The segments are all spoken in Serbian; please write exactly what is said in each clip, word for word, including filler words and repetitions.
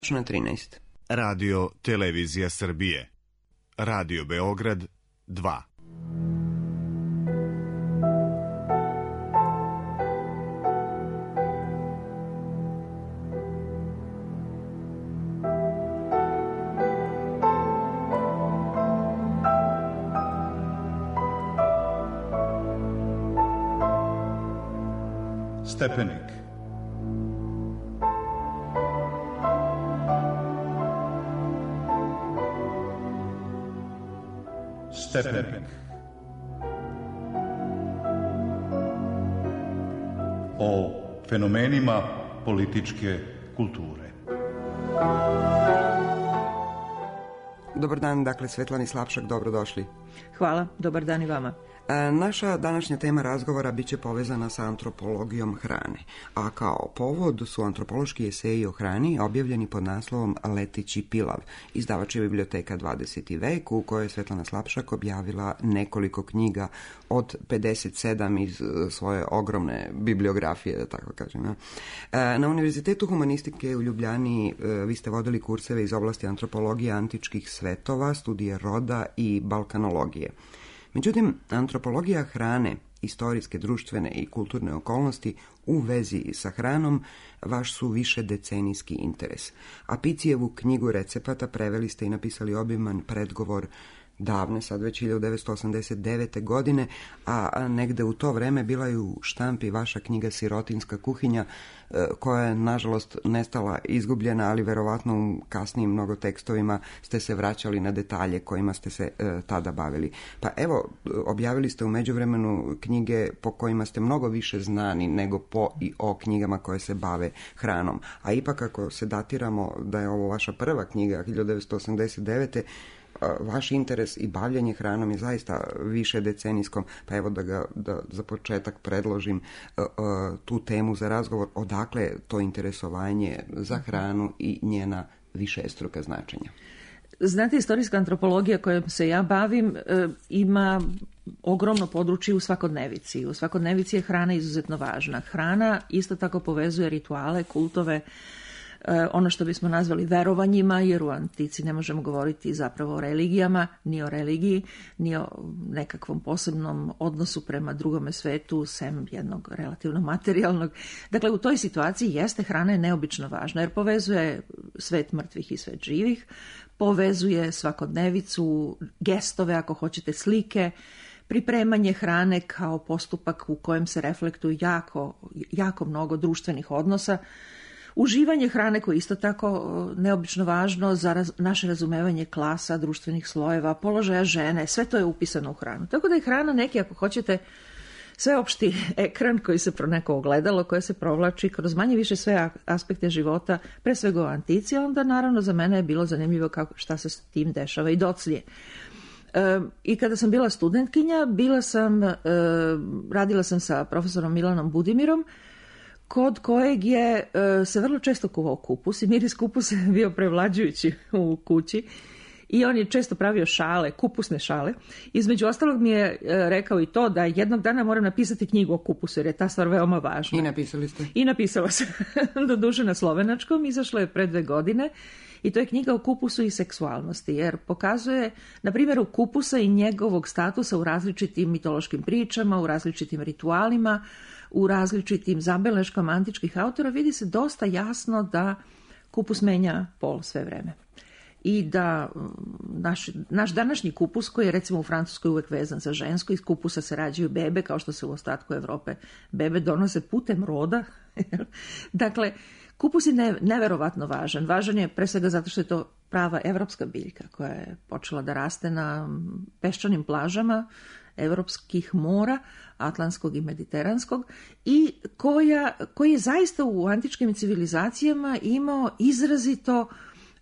trinaest. Radio Televizija Srbije. Radio Beograd dva. Stepenik. Stepenik. O fenomenima političke kulture. Dobar dan, dakle, Svetlani Slapšak, dobrodošli. Hvala, dobar dan i vama. Naša današnja tema razgovora biće povezana sa antropologijom hrane, a kao povod su antropološki eseji o hrani objavljeni pod naslovom Leteći pilav, izdavač je biblioteka dvadeseti vek, u kojoj je Svetlana Slapšak objavila nekoliko knjiga od pedeset sedam iz svoje ogromne bibliografije, da tako kažem. Na Univerzitetu humanistike u Ljubljani vi ste vodili kurseve iz oblasti antropologije antičkih svetova, studije roda i balkanologije. Međutim, antropologija hrane, istorijske, društvene i kulturne okolnosti u vezi sa hranom vaš su više decenijski interes. A Picijevu knjigu recepata preveli ste i napisali obiman predgovor davne, sad već hiljadu devetsto osamdeset devete. godine, a negde u to vreme bila je u štampi vaša knjiga Sirotinska kuhinja, koja je nažalost nestala, izgubljena, ali verovatno u kasnijim mnogo tekstovima ste se vraćali na detalje kojima ste se e, tada bavili. Pa evo, objavili ste u međuvremenu knjige po kojima ste mnogo više znani nego po i o knjigama koje se bave hranom. A ipak ako se datiramo da je ovo vaša prva knjiga hiljadu devetsto osamdeset devete. Vaš interes i bavljanje hranom je zaista više decenijskom, pa evo da ga da za početak predložim uh, uh, tu temu za razgovor, odakle to interesovanje za hranu i njena višestruka značenja. Znate, istorijska antropologija kojom se ja bavim e, ima ogromno područje u svakodnevici. U svakodnevici je hrana izuzetno važna. Hrana isto tako povezuje rituale, kultove, ono što bismo nazvali verovanjima, jer u antici ne možemo govoriti zapravo o religijama, ni o religiji, ni o nekakvom posebnom odnosu prema drugome svetu, sem jednog relativno materijalnog. Dakle, u toj situaciji jeste hrana je neobično važna, jer povezuje svet mrtvih i svet živih, povezuje svakodnevicu, gestove, ako hoćete, slike, pripremanje hrane kao postupak u kojem se reflektuju jako, jako mnogo društvenih odnosa, uživanje hrane koje je isto tako neobično važno za raz, naše razumevanje klasa, društvenih slojeva, položaja žene, sve to je upisano u hranu. Tako da je hrana neki, ako hoćete, sveopšti ekran koji se pro neko ogledalo, koje se provlači kroz manje više sve aspekte života, pre svega u antici, onda naravno za mene je bilo zanimljivo kako, šta se s tim dešava i doclje. E, I kada sam bila studentkinja, bila sam, e, radila sam sa profesorom Milanom Budimirom, kod kojeg je e, se vrlo često kuvao kupus i miris kupusa je bio prevlađujući u kući i on je često pravio šale, kupusne šale. Između ostalog mi je e, rekao i to da jednog dana moram napisati knjigu o kupusu jer je ta stvar veoma važna. I napisali ste? I napisala sam, doduše na slovenačkom, izašla je pre dve godine i to je knjiga o kupusu i seksualnosti jer pokazuje, na primjeru kupusa i njegovog statusa u različitim mitološkim pričama, u različitim ritualima, u različitim zabeleškama antičkih autora vidi se dosta jasno da kupus menja pol sve vreme. I da naš, naš današnji kupus, koji je recimo u Francuskoj uvek vezan za žensko, iz kupusa se rađaju bebe, kao što se u ostatku Evrope bebe donose putem roda. Dakle, kupus je ne, neverovatno važan. Važan je pre svega zato što je to prava evropska biljka koja je počela da raste na peščanim plažama evropskih mora, atlantskog i mediteranskog, i koja, koji je zaista u antičkim civilizacijama imao izrazito,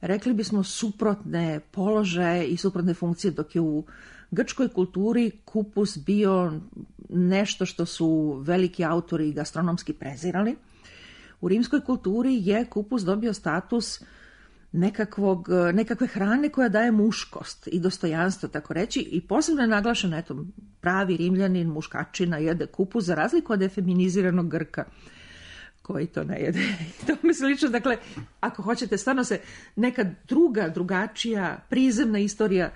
rekli bismo, suprotne položaje i suprotne funkcije, dok je u grčkoj kulturi kupus bio nešto što su veliki autori gastronomski prezirali. U rimskoj kulturi je kupus dobio status nekakvog, nekakve hrane koja daje muškost i dostojanstvo, tako reći, i posebno je naglašeno, eto, pravi Rimljanin, muškačina jede kupus, za razliku od efeminiziranog Grka, koji to ne jede. To mi slično, dakle, ako hoćete, stvarno se neka druga, drugačija, prizemna istorija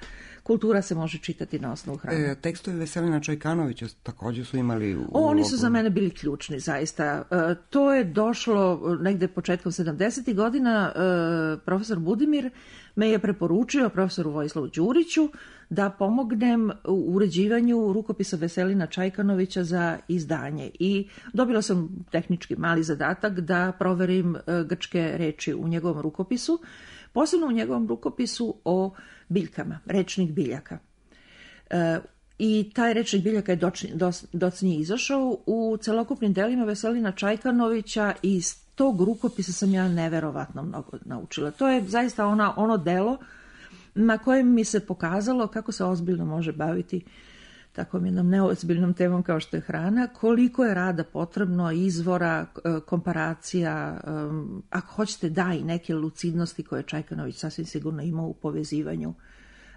kultura se može čitati na osnovu hrane. E, tekstovi Veselina Čajkanovića također su imali... U... Oni su za mene bili ključni, zaista. E, to je došlo negde početkom sedamdesetih godina. E, profesor Budimir me je preporučio profesoru Vojislavu Đuriću da pomognem u uređivanju rukopisa Veselina Čajkanovića za izdanje. I dobila sam tehnički mali zadatak da proverim e, grčke reči u njegovom rukopisu, posebno u njegovom rukopisu o biljkama, rečnih biljaka. E, I taj rečnih biljaka je docnije izašao u celokupnim delima Veselina Čajkanovića i iz tog rukopisa sam ja neverovatno mnogo naučila. To je zaista ona, ono delo na kojem mi se pokazalo kako se ozbiljno može baviti takvom jednom neozbiljnom temom kao što je hrana, koliko je rada potrebno, izvora, komparacija, ako hoćete da i neke lucidnosti koje Čajkanović sasvim sigurno imao u povezivanju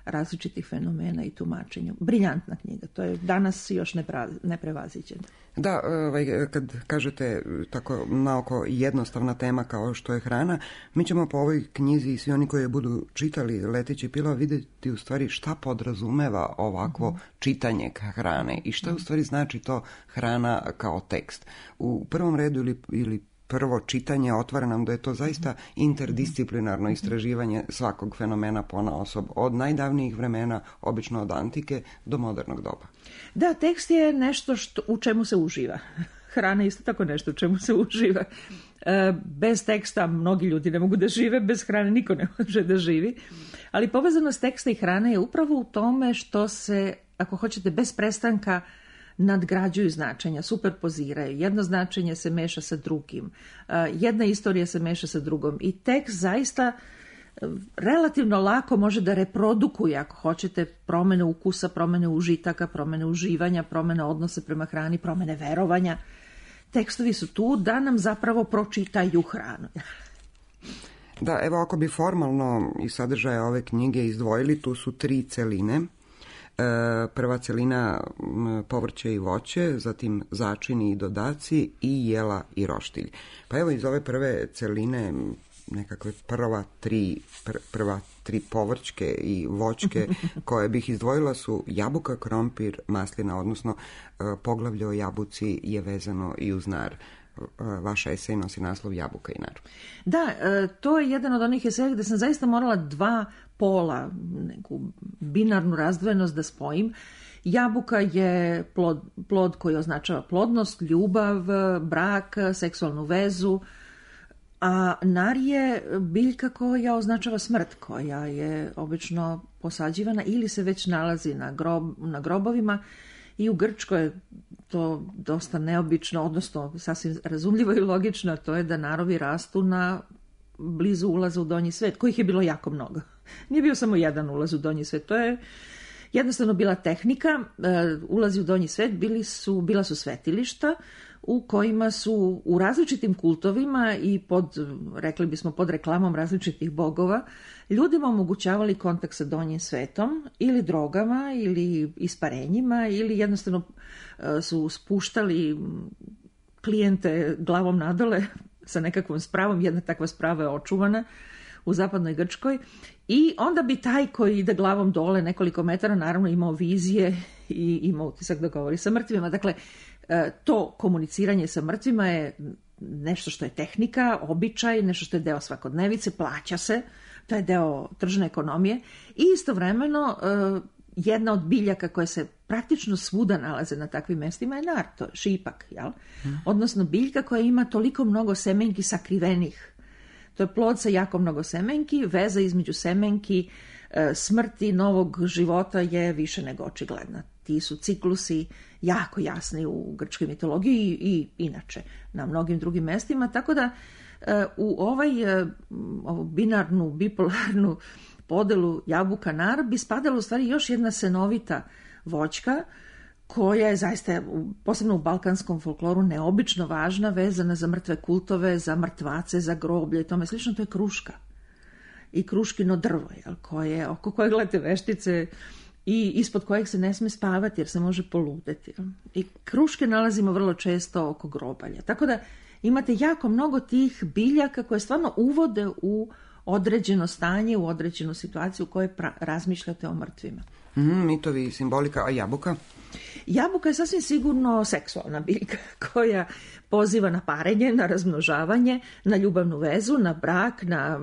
različitih fenomena i tumačenju. Briljantna knjiga, to je danas još neprevaziđena. Da, ovaj, kad kažete tako naoko jednostavna tema kao što je hrana, mi ćemo po ovoj knjizi i svi oni koji je budu čitali Letići pilav vidjeti u stvari šta podrazumeva ovakvo mm-hmm. čitanje hrane i šta u stvari znači to hrana kao tekst. U prvom redu ili, ili prvo čitanje otvara nam da je to zaista interdisciplinarno istraživanje svakog fenomena ponaosob, od najdavnijih vremena, obično od antike, do modernog doba. Da, tekst je nešto što, u čemu se uživa. Hrana je isto tako nešto u čemu se uživa. E, bez teksta mnogi ljudi ne mogu da žive, bez hrane niko ne može da živi. Ali povezanost teksta i hrane je upravo u tome što se, ako hoćete, bez prestanka nadgrađuju značenja, superpoziraju. Jedno značenje se meša sa drugim. Jedna istorija se meša sa drugom. I tekst zaista relativno lako može da reprodukuje, ako hoćete, promene ukusa, promene užitaka, promene uživanja, promene odnose prema hrani, promene verovanja. Tekstovi su tu da nam zapravo pročitaju hranu. Da, evo ako bi formalno iz sadržaja ove knjige izdvojili, tu su tri celine. Prva celina povrće i voće, zatim začini i dodaci i jela i roštilj. Pa evo iz ove prve celine nekakve prva tri, pr, prva tri povrćke i voćke koje bih izdvojila su jabuka, krompir, maslina, odnosno poglavlje o jabuci je vezano i uz nar. Vaša esej nosi naslov Jabuka i nar. Da, to je jedan od onih eseja gde sam zaista morala dva pola, neku binarnu razdvojenost da spojim. Jabuka je plod, plod koji označava plodnost, ljubav, brak, seksualnu vezu, a nar je biljka koja označava smrt, koja je obično posađivana ili se već nalazi na, grob, na grobovima. I u Grčkoj je to dosta neobično, odnosno sasvim razumljivo i logično, to je da narovi rastu na blizu ulaza u donji svet, kojih je bilo jako mnogo. Nije bio samo jedan ulaz u donji svet, to je jednostavno bila tehnika. Ulazi u donji svet bili su, bila su svetilišta u kojima su u različitim kultovima i pod, rekli bismo, pod reklamom različitih bogova, ljudima omogućavali kontakt sa donjim svetom ili drogama ili isparenjima ili jednostavno su spuštali klijente glavom nadole sa nekakvom spravom. Jedna takva sprava je očuvana u zapadnoj Grčkoj i onda bi taj koji ide glavom dole nekoliko metara naravno imao vizije i imao utisak da govori sa mrtvima. Dakle, to komuniciranje sa mrtvima je nešto što je tehnika, običaj, nešto što je deo svakodnevice, plaća se, to je deo tržne ekonomije i istovremeno jedna od biljaka koje se praktično svuda nalaze na takvim mestima je nar, to je šipak, jel? Hmm. Odnosno biljka koja ima toliko mnogo semenki sakrivenih. To je plod sa jako mnogo semenki, veza između semenki, smrti, novog života je više nego očigledna. Ti su ciklusi jako jasni u grčkoj mitologiji i, i inače na mnogim drugim mestima, tako da u ovaj ovu binarnu, bipolarnu podelu jabuka nar bi spadala u stvari još jedna senovita voćka koja je zaista, posebno u balkanskom folkloru, neobično važna, vezana za mrtve kultove, za mrtvace, za groblje i tome slično, to je kruška. I kruškino drvo, jel, koje, oko koje gledate veštice i ispod kojeg se ne sme spavati jer se može poludeti. Jel. I kruške nalazimo vrlo često oko grobalja. Tako da imate jako mnogo tih biljaka koje stvarno uvode u određeno stanje, u određenu situaciju u kojoj pra- razmišljate o mrtvima. Mm, mitovi i simbolika, a jabuka? Jabuka je sasvim sigurno seksualna biljka koja poziva na parenje, na razmnožavanje, na ljubavnu vezu, na brak, na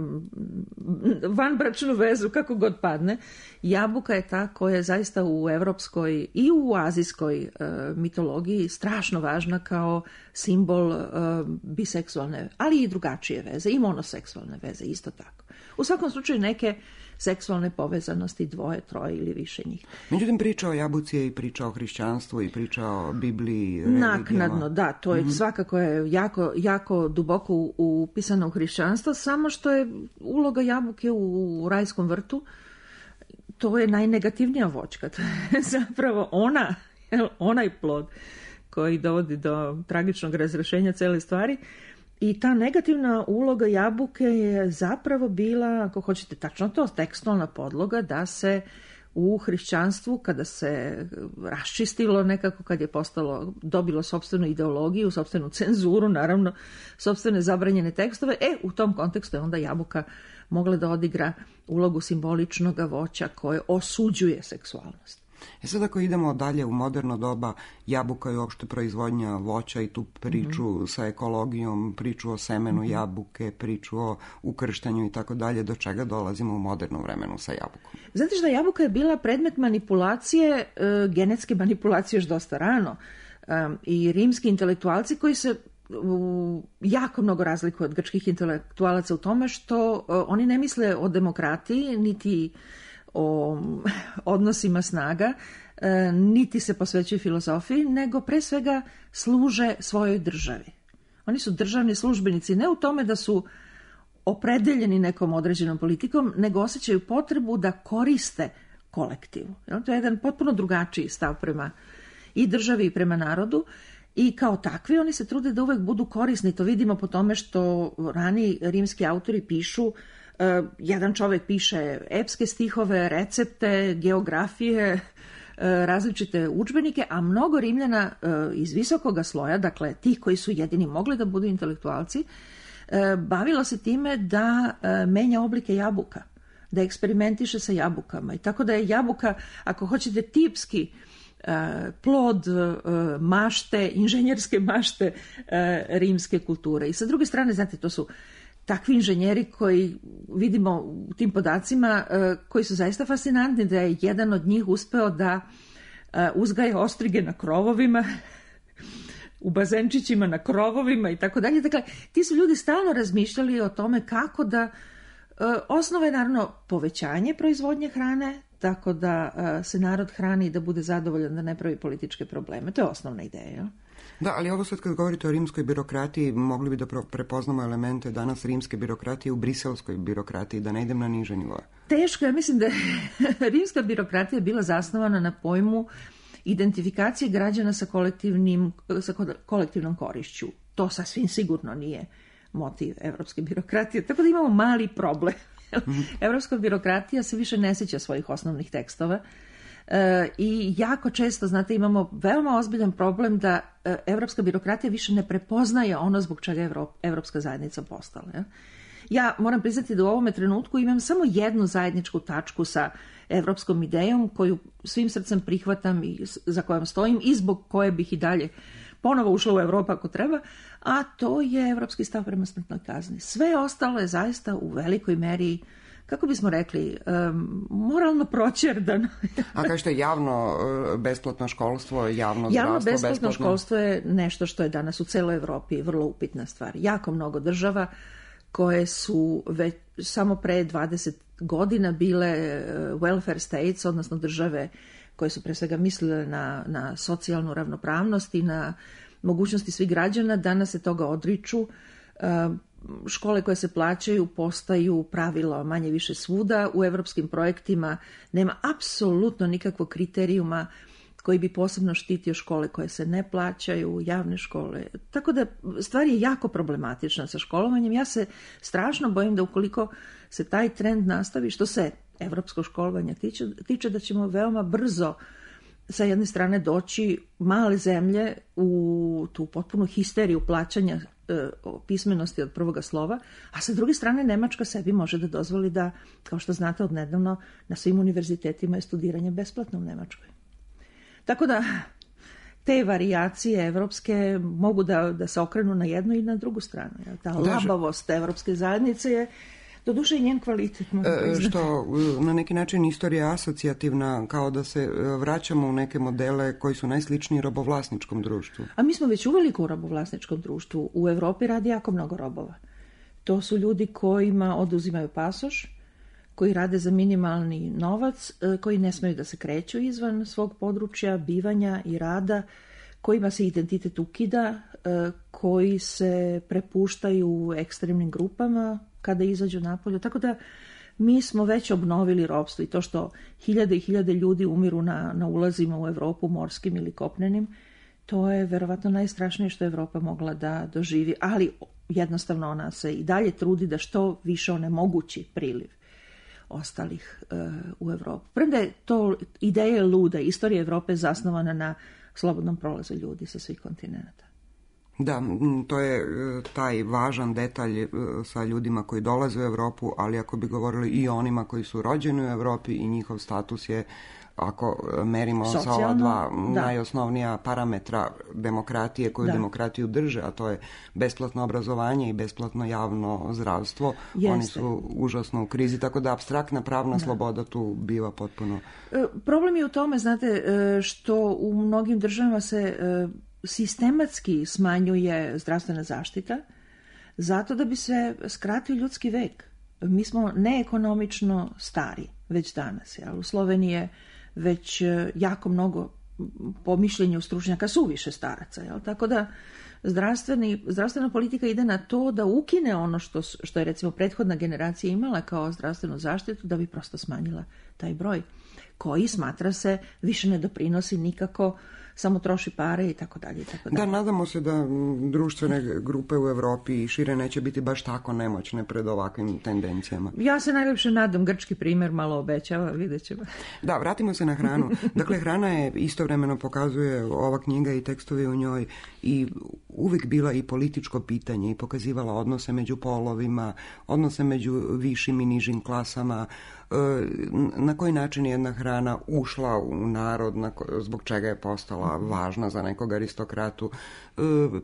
vanbračnu vezu, kako god padne. Jabuka je ta koja je zaista u evropskoj i u azijskoj e, mitologiji strašno važna kao simbol e, biseksualne, ali i drugačije veze, i monoseksualne veze, isto tako. U svakom slučaju neke seksualne povezanosti dvoje, troje ili više njih. Međutim, priča o jabuci je i priča o hrišćanstvu i priča o Bibliji, religijama. Naknadno, da, to je mm-hmm. svakako je jako, jako duboko upisano u hrišćanstvo, samo što je uloga jabuke u rajskom vrtu, to je najnegativnija voćka. To je zapravo ona, onaj plod koji dovodi do tragičnog razrešenja cele stvari. I ta negativna uloga jabuke je zapravo bila, ako hoćete tačno to, tekstualna podloga da se u hrišćanstvu, kada se raščistilo nekako, kad je postalo, dobilo sopstvenu ideologiju, sopstvenu cenzuru, naravno, sopstvene zabranjene tekstove, e, u tom kontekstu je onda jabuka mogla da odigra ulogu simboličnog voća koje osuđuje seksualnost. E sad ako idemo dalje u moderno doba, jabuka je uopšte proizvodnja voća i tu priču mm-hmm. sa ekologijom, priču o semenu mm-hmm. jabuke, priču o ukrštanju i tako dalje, do čega dolazimo u modernom vremenu sa jabukom? Znate što, jabuka je bila predmet manipulacije, e, genetske manipulacije još dosta rano e, i rimski intelektualci koji se u, jako mnogo razlikuju od grčkih intelektualaca u tome što e, oni ne misle o demokratiji, niti o odnosima snaga, e, niti se posvećuju filozofiji, nego pre svega služe svojoj državi. Oni su državni službenici ne u tome da su opredeljeni nekom određenom politikom, nego osjećaju potrebu da koriste kolektivu. To je jedan potpuno drugačiji stav prema i državi i prema narodu. I kao takvi oni se trude da uvek budu korisni. To vidimo po tome što rani rimski autori pišu, uh, jedan čovek piše epske stihove, recepte, geografije, uh, različite udžbenike, a mnogo Rimljana uh, iz visokoga sloja, dakle tih koji su jedini mogli da budu intelektualci, uh, bavilo se time da uh, menja oblike jabuka, da eksperimentiše sa jabukama. I tako da je jabuka, ako hoćete, tipski plod mašte, inženjerske mašte rimske kulture. I sa druge strane, znate, to su takvi inženjeri koji vidimo u tim podacima, koji su zaista fascinantni, da je jedan od njih uspeo da uzgaja ostrige na krovovima, u bazenčićima na krovovima i tako dalje. Dakle, ti su ljudi stalno razmišljali o tome kako da osnova je naravno povećanje proizvodnje hrane, tako da uh, se narod hrani i da bude zadovoljan, da ne pravi političke probleme. To je osnovna ideja. Da, ali ovo sad kad govorite o rimskoj birokratiji, mogli bi da prepoznamo elemente danas rimske birokratije u briselskoj birokratiji, da ne idem na niže nivoje. Teško, ja mislim da je rimska birokratija bila zasnovana na pojmu identifikacije građana sa, kolektivnim, sa kolektivnom korišću. To sasvim sigurno nije motiv evropske birokratije, tako da imamo mali problem. Evropska birokratija se više ne sjeća svojih osnovnih tekstova e, i jako često, znate, imamo veoma ozbiljan problem da e, evropska birokratija više ne prepoznaje ono zbog čega je Evrop, evropska zajednica postala. Ja? ja moram priznati da u ovome trenutku imam samo jednu zajedničku tačku sa evropskom idejom koju svim srcem prihvatam i za kojom stojim i zbog koje bih i dalje ponovo ušla u Evropu ako treba, a to je evropski stav prema smrtnoj kazni. Sve ostalo je zaista u velikoj meri, kako bismo rekli, um, moralno proćerdano. A kao što je javno besplatno školstvo, javno zdravstvo, javno besplatno besplatno školstvo je nešto što je danas u celoj Evropi vrlo upitna stvar. Jako mnogo država koje su već samo pre dvadeset godina bile welfare states, odnosno države koje su pre svega mislile na, na socijalnu ravnopravnost i na mogućnosti svih građana, danas se toga odriču. Škole koje se plaćaju postaju pravilo manje više svuda. U evropskim projektima nema apsolutno nikakvog kriterijuma koji bi posebno štitio škole koje se ne plaćaju, javne škole. Tako da stvar je jako problematična sa školovanjem. Ja se strašno bojim da ukoliko se taj trend nastavi, što se evropskog školovanja tiče, tiče da ćemo veoma brzo sa jedne strane doći male zemlje u tu potpunu histeriju plaćanja pismenosti od prvoga slova, a sa druge strane Nemačka sebi može da dozvoli da, kao što znate odnedavno, na svim univerzitetima je studiranje besplatno u Nemačkoj. Tako da te varijacije evropske mogu da, da se okrenu na jednu i na drugu stranu. Ta labavost evropske zajednice je doduše i njen kvalitet. E, što na neki način istorija asocijativna, kao da se vraćamo u neke modele koji su najsličniji robovlasničkom društvu. A mi smo već uveliko u robovlasničkom društvu. U Evropi radi jako mnogo robova. To su ljudi kojima oduzimaju pasoš, koji rade za minimalni novac, koji ne smeju da se kreću izvan svog područja bivanja i rada, kojima se identitet ukida, koji se prepuštaju ekstremnim grupama kada izađu napolje. Tako da mi smo već obnovili ropstvo i to što hiljade i hiljade ljudi umiru na, na ulazima u Evropu, morskim ili kopnenim, to je verovatno najstrašnije što je Evropa mogla da doživi, ali jednostavno ona se i dalje trudi da što više onemogući priliv ostalih uh, u Evropu. Premda je to ideja luda, istorija Evrope je zasnovana na slobodnom prolazu ljudi sa svih kontinenta. Da, to je taj važan detalj sa ljudima koji dolaze u Evropu, ali ako bi govorili i o onima koji su rođeni u Evropi i njihov status je, ako merimo socijalno, sa ova dva da. najosnovnija parametra demokratije koju da. demokratiju drže, a to je besplatno obrazovanje i besplatno javno zdravstvo, Jeste. Oni su užasno u krizi, tako da apstraktna pravna da. sloboda tu biva potpuno... Problem je u tome, znate, što u mnogim državama se sistematski smanjuje zdravstvena zaštita zato da bi se skratio ljudski vek. Mi smo neekonomično stari već danas. Jel? U Sloveniji je već jako mnogo, po mišljenju stručnjaka, suviše staraca. Jel? Tako da zdravstveni, zdravstvena politika ide na to da ukine ono što, što je recimo prethodna generacija imala kao zdravstvenu zaštitu, da bi prosto smanjila taj broj, koji, smatra se, više ne doprinosi nikako, samo troši pare i tako dalje i tako dalje. Da, nadamo se da društvene grupe u Evropi i šire neće biti baš tako nemoćne pred ovakvim tendencijama. Ja se najljepše nadam, grčki primjer malo obećava, vidjet ćemo. Da, vratimo se na hranu. Dakle, hrana je istovremeno, pokazuje ova knjiga i tekstovi u njoj, i uvijek bila i političko pitanje i pokazivala odnose među polovima, odnose među višim i nižim klasama, na koji način je jedna hrana ušla u narod, zbog čega je postala važna za nekog aristokratu,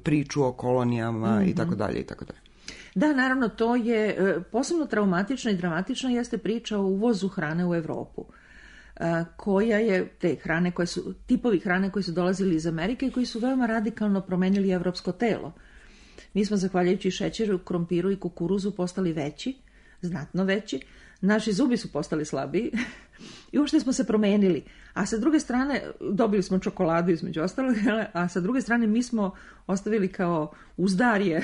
priču o kolonijama mm-hmm. i tako dalje i tako dalje. Da, naravno, to je posebno traumatično i dramatično jeste priča o uvozu hrane u Evropu, koja je te hrane koje su, tipovi hrane koji su dolazili iz Amerike i koji su veoma radikalno promenili evropsko telo. Mi smo, zahvaljujući šećeru, krompiru i kukuruzu, postali veći, znatno veći. Naši zubi su postali slabiji i uopšte smo se promenili. A sa druge strane, dobili smo čokoladu između ostalog, a sa druge strane mi smo ostavili kao uzdarje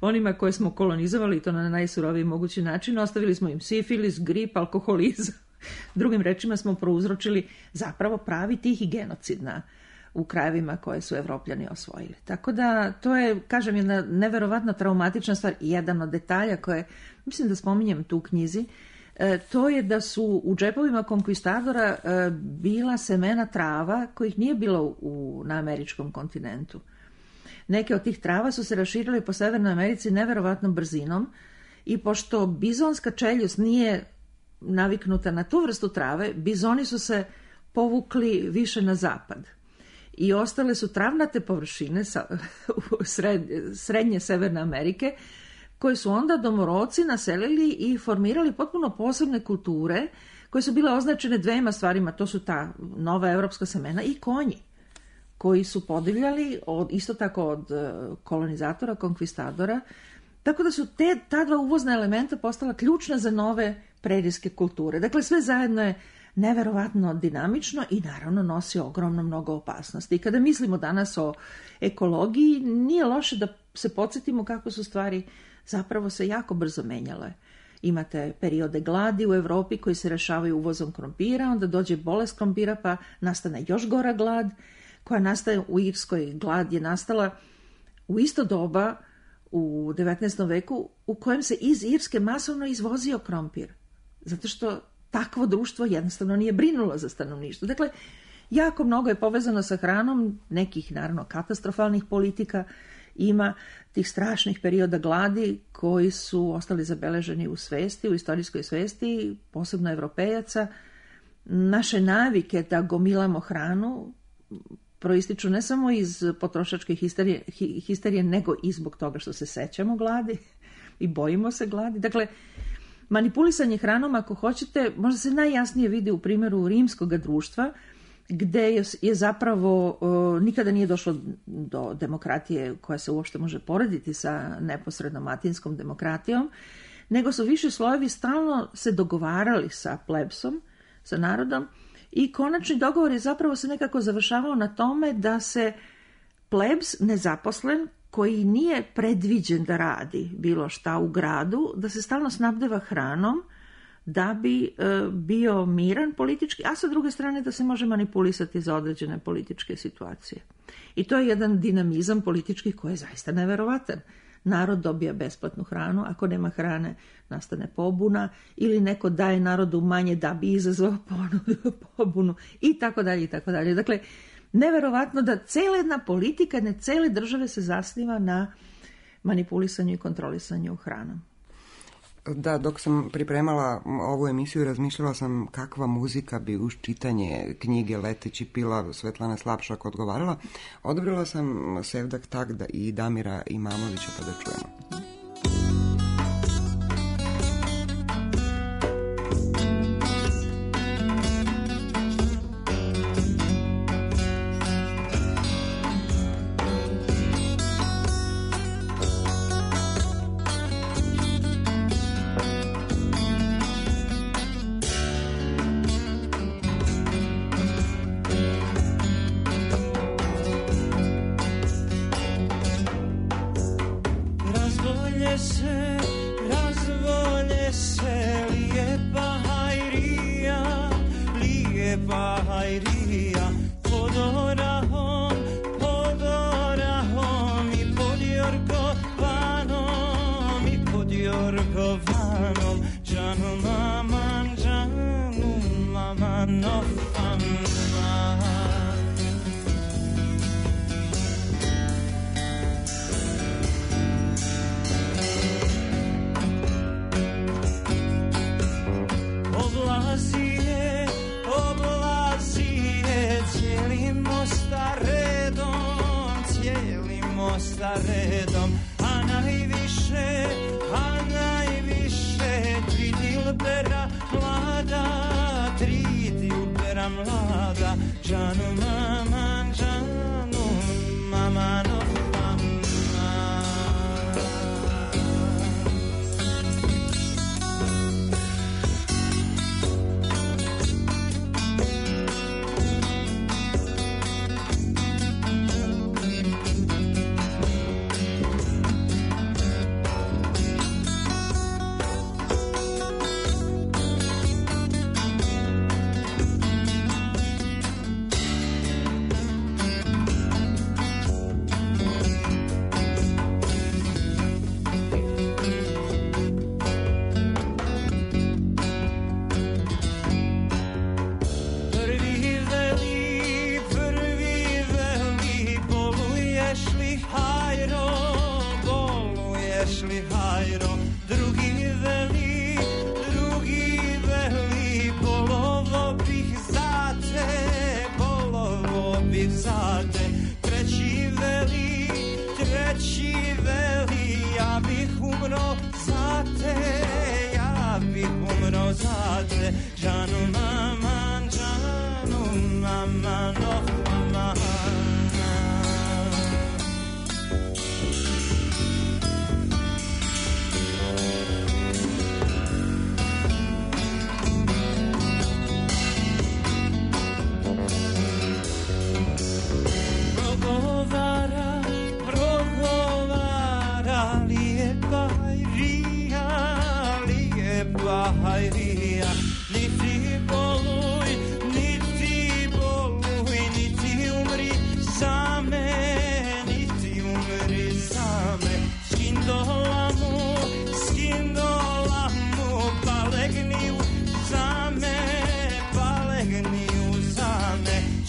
onima koje smo kolonizovali, i to na najsuroviji mogući način. Ostavili smo im sifilis, grip, alkoholizam. Drugim rečima smo prouzročili zapravo pravi tih i genocid na, u krajevima koje su Evropljani osvojili. Tako da to je, kažem, jedna neverovatno traumatična stvar. Jedan od detalja koje, mislim da spominjem tu u knjizi, e, to je da su u džepovima konkvistadora e, bila semena trava kojih nije bilo u, na američkom kontinentu. Neke od tih trava su se raširile po Severnoj Americi neverovatnom brzinom i pošto bizonska čeljust nije naviknuta na tu vrstu trave, bizoni su se povukli više na zapad. I ostale su travnate površine sa, sred, srednje Severne Amerike, koje su onda domoroci naselili i formirali potpuno posebne kulture koje su bile označene dvema stvarima. To su ta nova evropska semena i konji, koji su podivljali od, isto tako od kolonizatora, konkvistadora. Tako da su te, ta dva uvozna elementa postala ključna za nove prerijske kulture. Dakle, sve zajedno je neverovatno dinamično i naravno nosi ogromno mnogo opasnosti. I kada mislimo danas o ekologiji, nije loše da se podsjetimo kako su stvari zapravo se jako brzo menjale. Imate periode gladi u Evropi koji se rešavaju uvozom krompira, onda dođe bolest krompira pa nastane još gora glad, koja nastaje u Irskoj. Glad je nastala u isto doba u devetnaestom veku u kojem se iz Irske masovno izvozio krompir. Zato što takvo društvo jednostavno nije brinulo za stanovništvo. Dakle, jako mnogo je povezano sa hranom, nekih naravno katastrofalnih politika ima tih strašnih perioda gladi koji su ostali zabeleženi u svesti, u istorijskoj svesti, posebno Evropejaca. Naše navike da gomilamo hranu proističu ne samo iz potrošačke histerije, histerije, nego i zbog toga što se sećamo gladi i bojimo se gladi. Dakle, manipulisanje hranom, ako hoćete, možda se najjasnije vidi u primjeru rimskog društva, gde je, je zapravo uh, nikada nije došlo do demokratije koja se uopšte može porediti sa neposrednom atinskom demokratijom, nego su više slojevi stalno se dogovarali sa plebsom, sa narodom, i konačni dogovor je zapravo se nekako završavao na tome da se plebs nezaposlen, koji nije predviđen da radi bilo šta u gradu, da se stalno snabdeva hranom da bi e, bio miran politički, a sa druge strane da se može manipulisati za određene političke situacije. I to je jedan dinamizam politički koji je zaista neverovatan. Narod dobija besplatnu hranu, ako nema hrane nastane pobuna, ili neko daje narodu manje da bi izazvao pobunu, i tako dalje, i tako dalje. Dakle, neverovatno da cela jedna politika, jedne cele države se zasniva na manipulisanju i kontrolisanju hranom. Da, dok sam pripremala ovu emisiju, razmišljala sam kakva muzika bi uz čitanje knjige Leteći pilav Svetlana Slapšak odgovarala. Odabrala sam Sevdak Tagda i Damira Imamovića, pa da čujemo.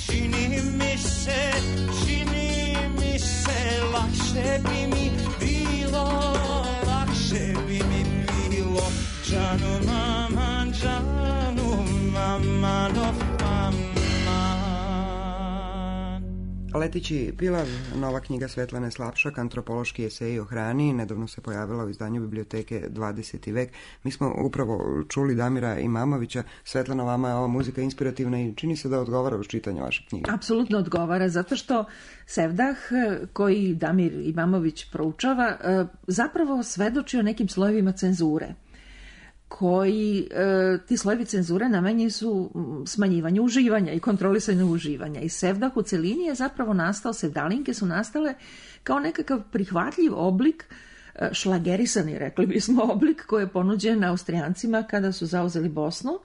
Čini mi se, čini mi se lakše bi Letići pilav, nova knjiga Svetlane Slapšak, antropološki eseji o hrani, nedavno se pojavila u izdanju biblioteke dvadeseti vek. Mi smo upravo čuli Damira Imamovića. Svetlana, vama je ova muzika inspirativna i čini se da odgovara uz čitanje vaše knjige. Apsolutno odgovara, zato što Sevdah, koji Damir Imamović proučava, zapravo svedoči o nekim slojevima cenzure, koji, ti slojevi cenzure namenjeni su smanjivanju uživanja i kontrolisanju uživanja. I Sevdah u celini je zapravo nastao, sevdalinke su nastale kao nekakav prihvatljiv oblik, šlagerisani, rekli bismo, oblik koji je ponuđen Austrijancima kada su zauzeli Bosnu,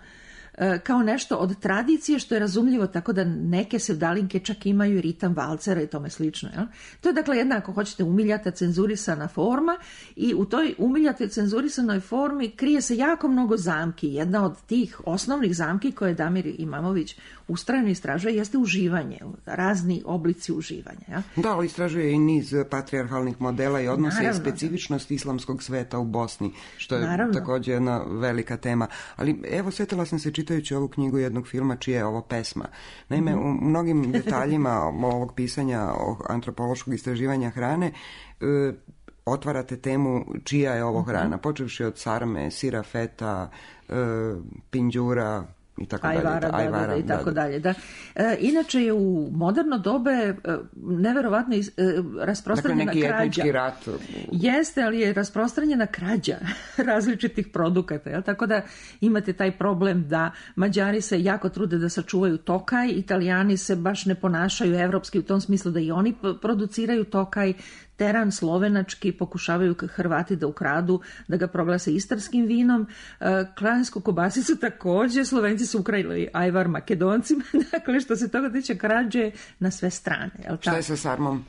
kao nešto od tradicije što je razumljivo, tako da neke sevdalinke čak imaju ritam valcera i tome slično. Jel? To je dakle jedna, ako hoćete, umiljata cenzurisana forma i u toj umiljatoj cenzurisanoj formi krije se jako mnogo zamki. Jedna od tih osnovnih zamki koje Damir Imamović ustrajno istražuje jeste uživanje, razni oblici uživanja. Jel? Da, ali istražuje i niz patrijarhalnih modela i odnose i specifičnost islamskog sveta u Bosni, što je Naravno. također jedna velika tema. Ali evo, sjetila sam se čitajući ovu knjigu jednog filma čija je ovo pesma. Naime, u mnogim detaljima ovog pisanja o antropološkog istraživanja hrane e, otvarate temu čija je ovo hrana, počevši od sarme, sira feta, e, pinđura, i tako ajvara, dalje, da, ajvara, da, da, i tako da, dalje. Da. E, inače je u moderno dobe e, neverovatno iz, e, rasprostranjena dakle, neki krađa. etnički rat. Jeste, ali je rasprostranjena krađa različitih produkata. Jel? Tako da imate taj problem da Mađari se jako trude da sačuvaju tokaj, Italijani se baš ne ponašaju evropski u tom smislu da i oni produciraju tokaj, teran slovenački pokušavaju Hrvati da ukradu, da ga proglase istarskim vinom. Klansku kobasicu također, Slovenci su ukrajili ajvar Makedoncima, dakle što se toga tiče krađe na sve strane. Jel šta je sa sarmom?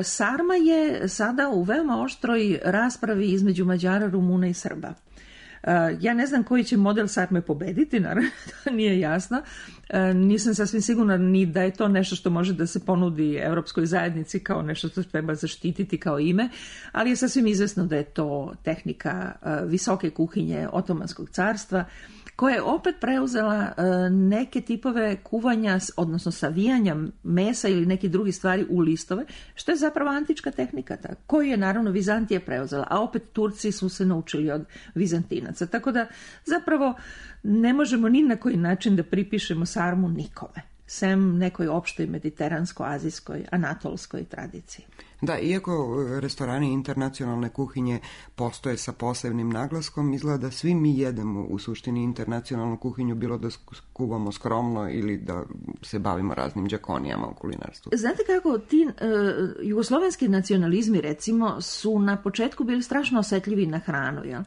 Sarma je sada u veoma oštroj raspravi između Mađara, Rumuna i Srba. Ja ne znam koji će model sarme pobediti, naravno, to nije jasno. Nisam sasvim sigurna ni da je to nešto što može da se ponudi Evropskoj zajednici kao nešto što treba zaštititi kao ime, ali je sasvim izvesno da je to tehnika visoke kuhinje Otomanskog carstva, koja je opet preuzela neke tipove kuvanja, odnosno savijanja mesa ili neki drugi stvari u listove, što je zapravo antička tehnika, ta, koju je naravno Vizantija preuzela, a opet Turci su se naučili od Vizantinaca. Tako da zapravo ne možemo ni na koji način da pripišemo sarmu nikome, sem nekoj opštoj mediteransko-azijskoj, anatolskoj tradiciji. Da, iako restorani internacionalne kuhinje postoje sa posebnim naglaskom, izgleda da svi mi jedemo u suštini internacionalnu kuhinju, bilo da kuvamo skromno ili da se bavimo raznim đakonijama u kulinarstvu. Znate kako, ti uh, jugoslovenski nacionalizmi, recimo, su na početku bili strašno osetljivi na hranu. Jel?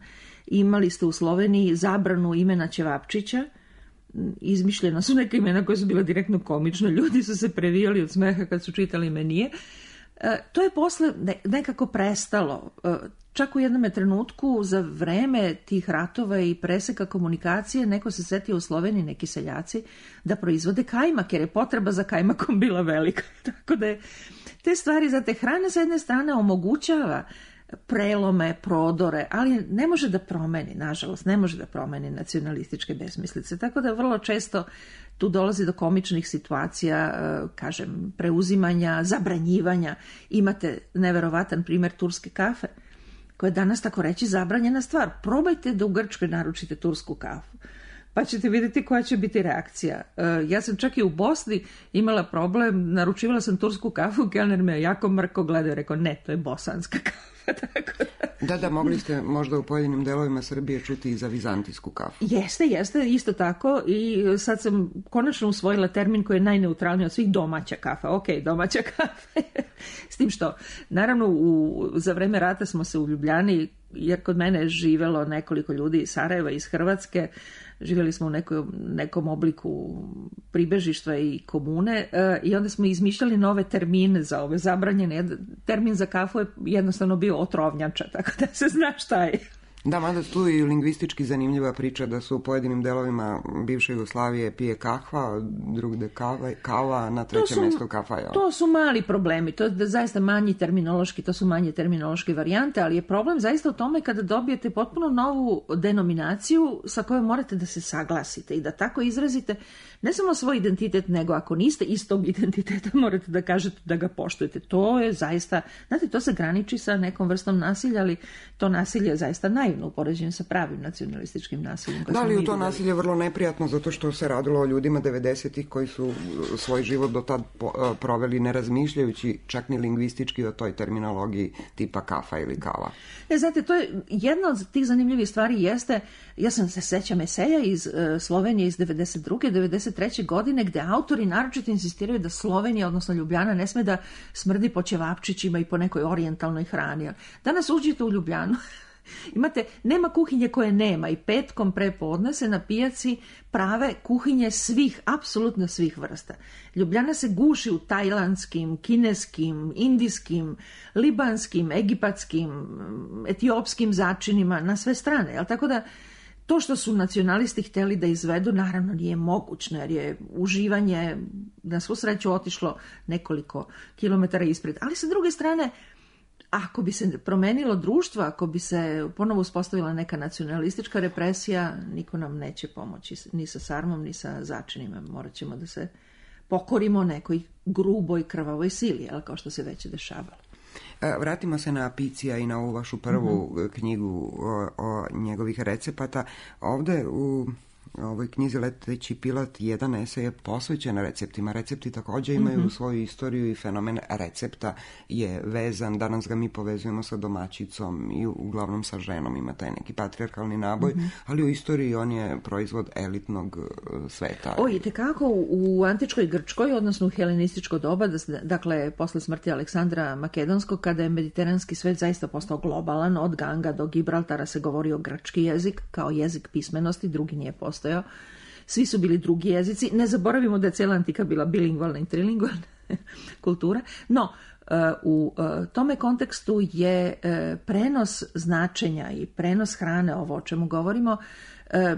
Imali ste u Sloveniji zabranu imena Ćevapčića, izmišljena su neka imena koja su bila direktno komična, ljudi su se previjali od smeha kad su čitali menije. E, to je posle nekako prestalo. E, čak u jednom trenutku za vreme tih ratova i preseka komunikacije neko se setio u Sloveniji, neki seljaci, da proizvode kajmak, jer je potreba za kajmakom bila velika. Tako da je te stvari za te hrane sa jedne strane omogućava prelome, prodore, ali ne može da promeni, nažalost, ne može da promeni nacionalističke besmislice. Tako da vrlo često tu dolazi do komičnih situacija, kažem, preuzimanja, zabranjivanja. Imate neverovatan primjer turske kafe, koja je danas tako reći zabranjena stvar. Probajte da u Grčkoj naručite tursku kafu, pa ćete vidjeti koja će biti reakcija. Ja sam čak i u Bosni imala problem, naručivala sam tursku kafu, kelner me jako mrko gledao i rekao, ne, to je bosanska kafa. Tako da. da, da, mogli ste možda u pojedinim delovima Srbije čuti i za vizantijsku kafu. Jeste, jeste, isto tako, i sad sam konačno usvojila termin koji je najneutralniji od svih, domaća kafa. Ok, domaća kafa. S tim što, naravno, u, za vreme rata smo se u Ljubljani, jer kod mene je živelo nekoliko ljudi iz Sarajeva, iz Hrvatske, živjeli smo u nekom, nekom obliku pribežištva i komune e, i onda smo izmišljali nove termine za ove zabranjene. Termin za kafu je jednostavno bio otrovnjača, tako da se zna šta je. Da, mada tu i lingvistički zanimljiva priča da su u pojedinim delovima bivše Jugoslavije pije kahva, drugde kava, kava na trećem mjestu kafa. Jel? To su mali problemi, to je zaista manji terminološki, to su manje terminološke varijante, ali je problem zaista u tome kada dobijete potpuno novu denominaciju sa kojom morate da se saglasite i da tako izrazite ne samo svoj identitet, nego ako niste istog identiteta morate da kažete da ga poštujete. To je zaista, znate, to se graniči sa nekom vrstom nasilja, ali to nasilje je zaista naivno u poređenju sa pravim nacionalističkim nasiljem. Da li u to nasilje je vrlo neprijatno zato što se radilo o ljudima devedesetih koji su svoj život do tad proveli ne razmišljajući čak ni lingvistički o toj terminologiji tipa kafa ili kava. Ne, znate, to je jedna od tih zanimljivih stvari jeste, ja sam se sećam eseja iz uh, Slovenije iz devedeset druge devedeset treće godine gde autori naročito insistiraju da Slovenija, odnosno Ljubljana, ne sme da smrdi po ćevapčićima i po nekoj orijentalnoj hrani. Danas uđete u Ljubljanu, imate, nema kuhinje koje nema i petkom prepodne se na pijaci prave kuhinje svih, apsolutno svih vrsta. Ljubljana se guši u tajlandskim, kineskim, indijskim, libanskim, egipatskim, etiopskim začinima na sve strane. Jel? Tako da to što su nacionalisti htjeli da izvedu, naravno nije mogućno, jer je uživanje na svu sreću otišlo nekoliko kilometara ispred. Ali sa druge strane, ako bi se promenilo društvo, ako bi se ponovo uspostavila neka nacionalistička represija, niko nam neće pomoći, ni sa sarmom, ni sa začinima. Morat ćemo da se pokorimo nekoj gruboj krvavoj sili, ali kao što se već dešavalo. Vratimo se na Apicija i na ovu vašu prvu mm-hmm. knjigu o, o njegovih recepata. Ovde u ovoj knjizi Leteći Pilat jedan esej je posvećen receptima. Recepti također imaju mm-hmm. svoju istoriju i fenomen recepta je vezan. Danas ga mi povezujemo sa domaćicom i uglavnom sa ženom. Ima taj neki patrijarhalni naboj, mm-hmm. ali u istoriji on je proizvod elitnog sveta. O, i tekako u antičkoj Grčkoj, odnosno u helenističko doba, dakle posle smrti Aleksandra Makedonskog, kada je mediteranski svet zaista postao globalan, od Ganga do Gibraltara se govorio grčki jezik kao jezik pismenosti, drugi nije postao. Svi su bili drugi jezici. Ne zaboravimo da je cijela antika bila bilingvalna i trilingvalna kultura. No, u tome kontekstu je prenos značenja i prenos hrane, ovo o čemu govorimo,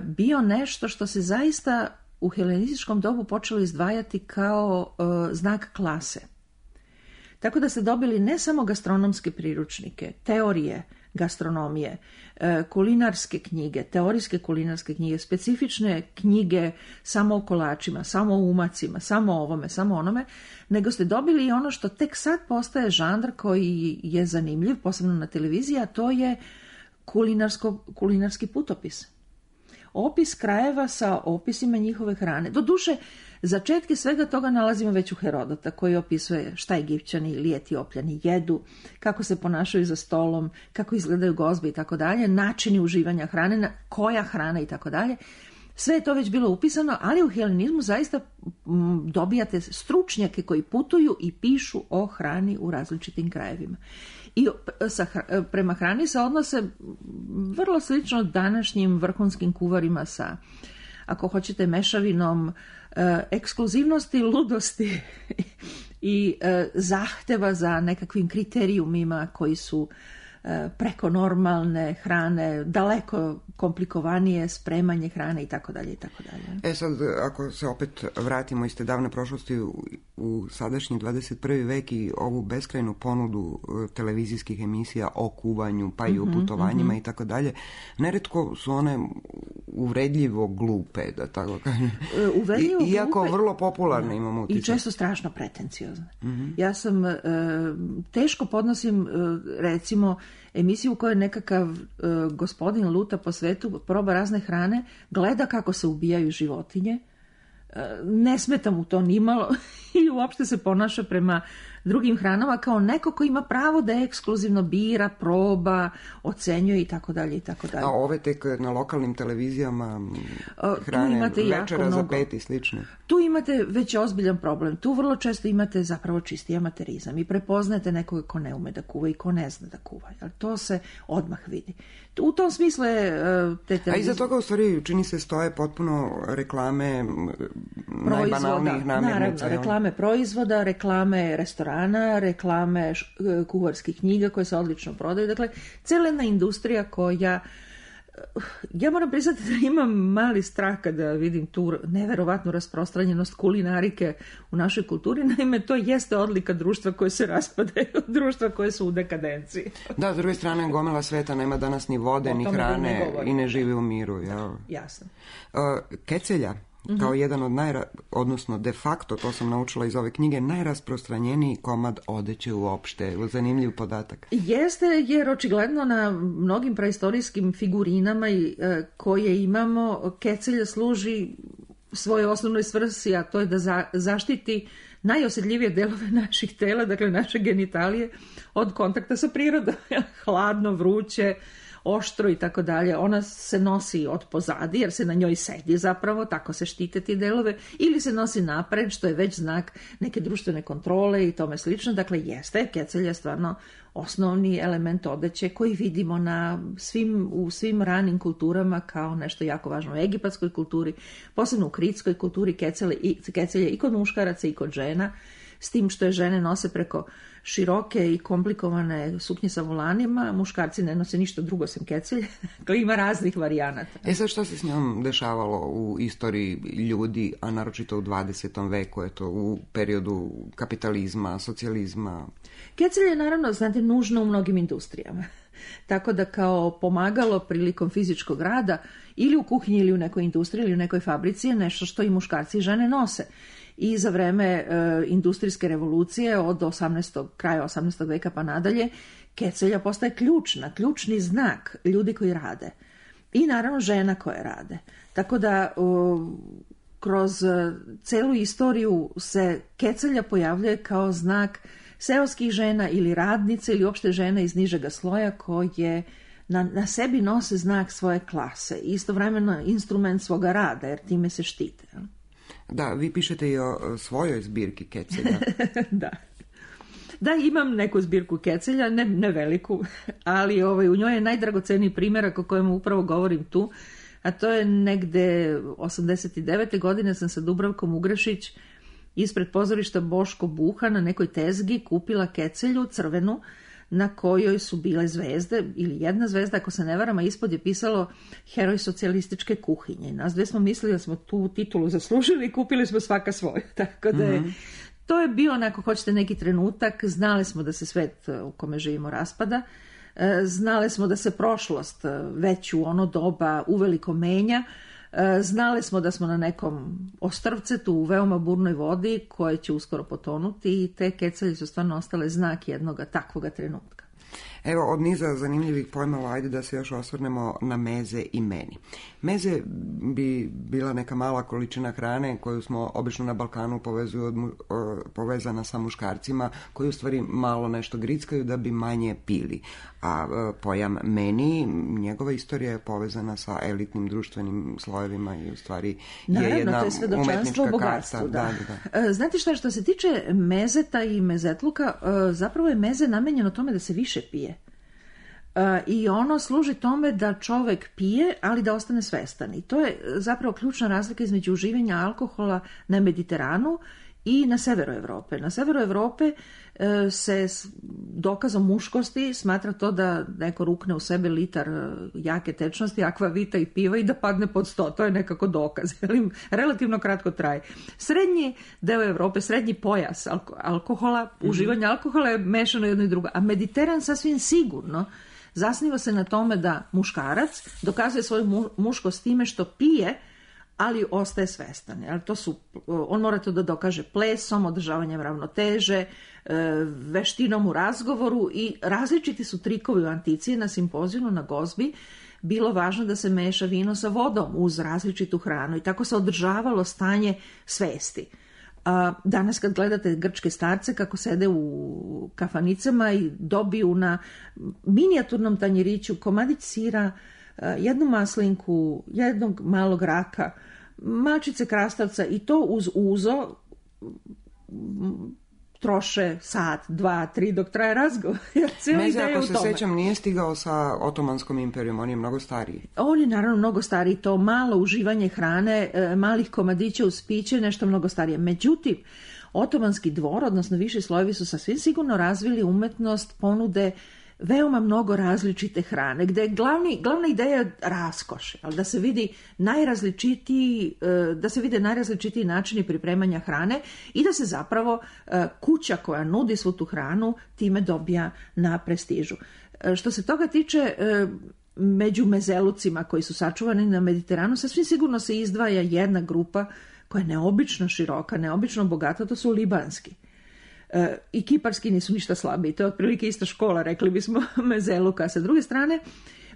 bio nešto što se zaista u helenističkom dobu počelo izdvajati kao znak klase. Tako da ste dobili ne samo gastronomske priručnike, teorije gastronomije, kulinarske knjige, teorijske kulinarske knjige, specifične knjige samo o kolačima, samo o umacima, samo o ovome, samo onome, nego ste dobili i ono što tek sad postaje žanr koji je zanimljiv, posebno na televiziji, a to je kulinarsko, kulinarski putopis. Opis krajeva sa opisima njihove hrane. Doduše, začetke svega toga nalazimo već u Herodota, koji opisuje šta Egipćani ili Etiopljani jedu, kako se ponašaju za stolom, kako izgledaju gozbe i tako dalje, načini uživanja hrane, koja hrana i tako dalje. Sve je to već bilo upisano, ali u helenizmu zaista m, dobijate stručnjake koji putuju i pišu o hrani u različitim krajevima. I sa, prema hrani se odnose vrlo slično današnjim vrhunskim kuvarima sa, ako hoćete, mešavinom e, ekskluzivnosti, ludosti i e, zahteva za nekakvim kriterijumima koji su e, preko normalne hrane, daleko komplikovanije spremanje hrane i tako dalje i tako dalje. E sad, ako se opet vratimo iz te davne prošlosti u, u sadašnji dvadeset prvi vek i ovu beskrajnu ponudu televizijskih emisija o kuvanju, pa i o putovanjima mm-hmm. i tako dalje, neretko su one uvredljivo glupe, da tako kažem. Uvredljivo I, iako glupe, vrlo popularne imamo utisak. I često strašno pretenciozne. Mm-hmm. Ja sam, e, teško podnosim, e, recimo, emisiju u kojoj nekakav e, gospodin luta po svetu, proba razne hrane, gleda kako se ubijaju životinje, e, ne smeta mu to nimalo i uopšte se ponaša prema drugim hranama kao neko ko ima pravo da ekskluzivno bira, proba, ocenjuje i tako dalje i tako dalje. A ove tek na lokalnim televizijama hrane večera za pet i slično. Tu imate već ozbiljan problem. Tu vrlo često imate zapravo čisti amaterizam i prepoznajete nekoga ko ne ume da kuva i ko ne zna da kuva. Ali to se odmah vidi. U tom smislu je te televizije... A iza toga u stvari čini se stoje potpuno reklame najbanalnijih namirnica. Naravno, reklame proizvoda, reklame restorana, reklame kuvarskih knjiga koje se odlično prodaju. Dakle, cijela jedna industrija koja ja moram priznati da imam mali strah kada vidim tu neverovatnu rasprostranjenost kulinarike u našoj kulturi. Naime, to jeste odlika društva koje se raspadaju, društva koje su u dekadenciji. Da, s druge strane, gomila sveta nema danas ni vode, ni hrane i ne živi u miru. Ja. Jasno. Uh, kecelja, kao jedan od najra, odnosno de facto, to sam naučila iz ove knjige, najrasprostranjeniji komad odeće uopšte. Zanimljiv podatak. Jeste, jer očigledno na mnogim praistorijskim figurinama koje imamo, kecelja služi svojoj osnovnoj svrsi, a to je da za, zaštiti najosjetljivije delove naših tela, dakle naše genitalije, od kontakta sa prirodom. Hladno, vruće, oštro i tako dalje. Ona se nosi od pozadi jer se na njoj sedi zapravo, tako se štite ti delove, ili se nosi napred, što je već znak neke društvene kontrole i tome slično. Dakle, jeste, kecelj je stvarno osnovni element odeće koji vidimo na svim, u svim ranim kulturama kao nešto jako važno u egipatskoj kulturi, posebno u kritskoj kulturi kecelje i, kecelje i kod muškaraca i kod žena, s tim što je žene nose preko široke i komplikovane suknje sa volanima, muškarci ne nose ništa drugo sem kecelje, dakle ima raznih varijanata. E sad, što se s njom dešavalo u istoriji ljudi, a naročito u dvadesetom veku, eto, u periodu kapitalizma, socijalizma? Kecelje je naravno, znate, nužno u mnogim industrijama. Tako da kao pomagalo prilikom fizičkog rada ili u kuhinji ili u nekoj industriji ili u nekoj fabrici je nešto što i muškarci i žene nose. I za vreme e, industrijske revolucije od osamnaestog kraja osamnaestog veka pa nadalje, kecelja postaje ključna, ključni znak ljudi koji rade. I naravno žena koje rade. Tako da o, kroz celu istoriju se kecelja pojavljuje kao znak seoskih žena ili radnice ili uopšte žena iz nižega sloja koje na, na sebi nose znak svoje klase. Istovremeno instrument svoga rada, jer time se štite. Da, vi pišete i o svojoj zbirki kecelja. Da. Da, imam neku zbirku kecelja, ne, ne veliku, ali ovaj, u njoj je najdragoceniji primjerak o kojem upravo govorim tu, a to je negde osamdeset devete godine sam sa Dubravkom Ugrešić ispred pozorišta Boško Buha na nekoj tezgi kupila kecelju crvenu na kojoj su bile zvezde, ili jedna zvezda, ako se ne varam, a ispod je pisalo heroj socijalističke kuhinje. Nas dve smo mislili da smo tu titulu zaslužili i kupili smo svaka svoju. Tako da je, mm-hmm. to je bio, ako hoćete, neki trenutak. Znali smo da se svet u kome živimo raspada. Znali smo da se prošlost već u ono doba uveliko menja. Znali smo da smo na nekom ostrvcetu u veoma burnoj vodi koje će uskoro potonuti i te kecelje su stvarno ostale znak jednog takvoga trenutka. Evo, od niza zanimljivih pojmova, ajde da se još osvrnemo na meze i meni. Meze bi bila neka mala količina hrane koju smo obično na Balkanu povezuju od, o, povezana sa muškarcima, koji u stvari malo nešto grickaju da bi manje pili. A o, pojam meni, njegova istorija je povezana sa elitnim društvenim slojevima i u stvari Naravno, je jedna to je svedočanstvo umetnička karta. Da. Da, da. Znate šta, što se tiče mezeta i mezetluka, zapravo je meze namenjeno tome da se više pije. I ono služi tome da čovek pije, ali da ostane svestan. I to je zapravo ključna razlika između uživanja alkohola na Mediteranu i na severu Evrope. Na severu Evrope se dokazom muškosti smatra to da neko rukne u sebe litar jake tečnosti, akvavita i piva i da padne pod sto. To je nekako dokaz. Relativno kratko traje. Srednji deo Evrope, srednji pojas alkohola, mm-hmm. uživanja alkohola je mešano jedno i drugo. A Mediteran sasvim sigurno zasniva se na tome da muškarac dokazuje svoju muškost time što pije, ali ostaje svestan. Jel? To su, on mora to da dokaže plesom, održavanjem ravnoteže, veštinom u razgovoru i različiti su trikovi u antici. Na simpozijumu, na gozbi, bilo važno da se meša vino sa vodom uz različitu hranu i tako se održavalo stanje svesti. Danas kad gledate grčke starce kako sede u kafanicama i dobiju na minijaturnom tanjiriću komadić sira, jednu maslinku, jednog malog raka, malčice krastavca i to uz uzo troše sat, dva, tri dok traje razgovor. Meze, ako se sećam, nije stigao sa Otomanskom imperijom, on je mnogo stariji. On je naravno mnogo stariji, to malo uživanje hrane, malih komadića uz piće, nešto mnogo starije. Međutim, Otomanski dvor, odnosno viši slojevi su sasvim sigurno razvili umetnost ponude veoma mnogo različite hrane, gde je glavni, glavna ideja raskoš, ali da se vidi najrazličitiji, da se vide najrazličitiji načini pripremanja hrane i da se zapravo kuća koja nudi svu tu hranu time dobija na prestižu. Što se toga tiče, među mezelucima koji su sačuvani na Mediteranu, sasvim sigurno se izdvaja jedna grupa koja je neobično široka, neobično bogata, to su libanski. I kiparski nisu ništa slabiji, to je otprilike ista škola, rekli bismo, mezeluka. Sa druge strane,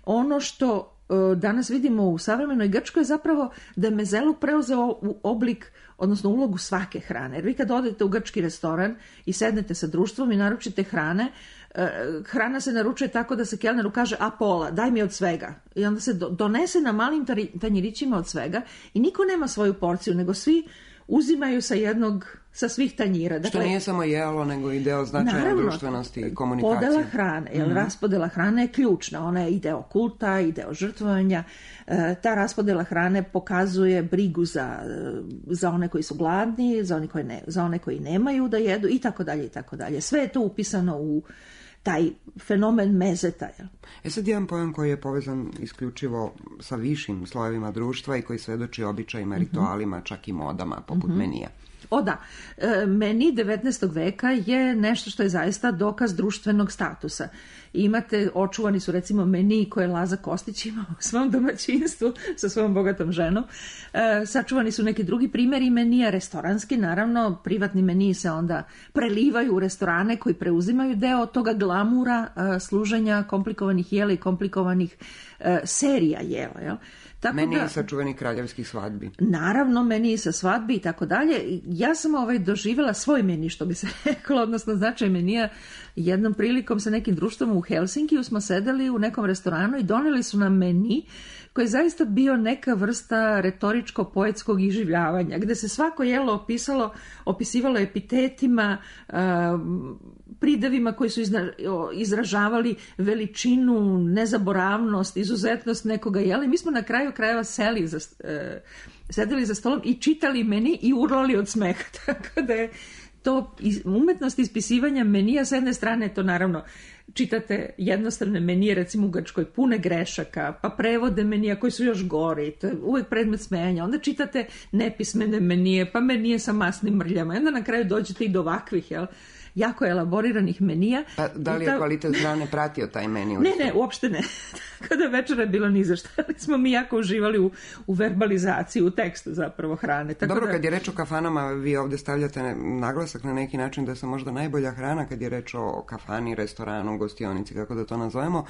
ono što danas vidimo u savremenoj Grčkoj je zapravo da je mezeluk preuzeo u oblik, odnosno ulogu svake hrane. Jer vi kad odete u grčki restoran i sednete sa društvom i naručite hrane, hrana se naručuje tako da se kelneru kaže a pola, daj mi od svega. I onda se donese na malim tanjirićima od svega i niko nema svoju porciju, nego svi uzimaju sa jednog, sa svih tanjira. Dakle, što nije samo jelo, nego i deo značaja društvenosti i komunikacije. Podela hrane, jer mm-hmm. raspodela hrane je ključna. Ona je i deo kulta, i deo žrtvovanja. E, ta raspodela hrane pokazuje brigu za, za one koji su gladni, za one, koji ne, za one koji nemaju da jedu i tako dalje i tako dalje. Sve je to upisano u taj fenomen mezeta. E sad jedan pojam koji je povezan isključivo sa višim slojevima društva i koji svedoči običajima, mm-hmm. ritualima, čak i modama, poput mm-hmm. menija. O da, meni devetnaestog veka je nešto što je zaista dokaz društvenog statusa. Imate, očuvani su recimo meniji koje Laza Kostić ima u svom domaćinstvu sa svojom bogatom ženom. E, sačuvani su neki drugi primjeri menija, restoranski, naravno, privatni meniji se onda prelivaju u restorane koji preuzimaju deo toga glamura e, služenja komplikovanih jela i komplikovanih e, serija jela, jel? Tako meni da, i sačuvani kraljevskih svadbi. Naravno, meni i sa svadbi i tako dalje. Ja sam ovaj doživjela svoj meni, što bi se reklo, odnosno značaj menija. Jednom prilikom sa nekim društvom u Helsinkiju smo sedeli u nekom restoranu i doneli su nam meni koji je zaista bio neka vrsta retoričko-poetskog iživljavanja, gde se svako jelo opisalo, opisivalo epitetima, pridevima koji su izražavali veličinu, nezaboravnost, izuzetnost nekoga jela. I mi smo na kraju krajeva seli za, sedeli za stolom i čitali meni i urlali od smeha. Tako da je to umetnost ispisivanja menija, s jedne strane to naravno čitate jednostavne menije, recimo u Grčkoj, pune grešaka, pa prevode menija koji su još gori, to je uvijek predmet smejanja. Onda čitate nepismene menije, pa menije sa masnim mrljama. I onda na kraju dođete i do ovakvih, jel, jako elaboriranih menija. Pa da li je ta... kvalitet hrane pratio taj meni? Ne, ne, uopšte ne. Tako da večera je bilo ni za šta. Ali smo mi jako uživali u, u verbalizaciji, u tekstu zapravo hrane. Tako Dobro, da... kad je reč o kafanama, vi ovdje stavljate naglasak na neki način da se možda najbolja hrana, kad je reč o kafani, restoranu, gostionici, kako da to nazovemo,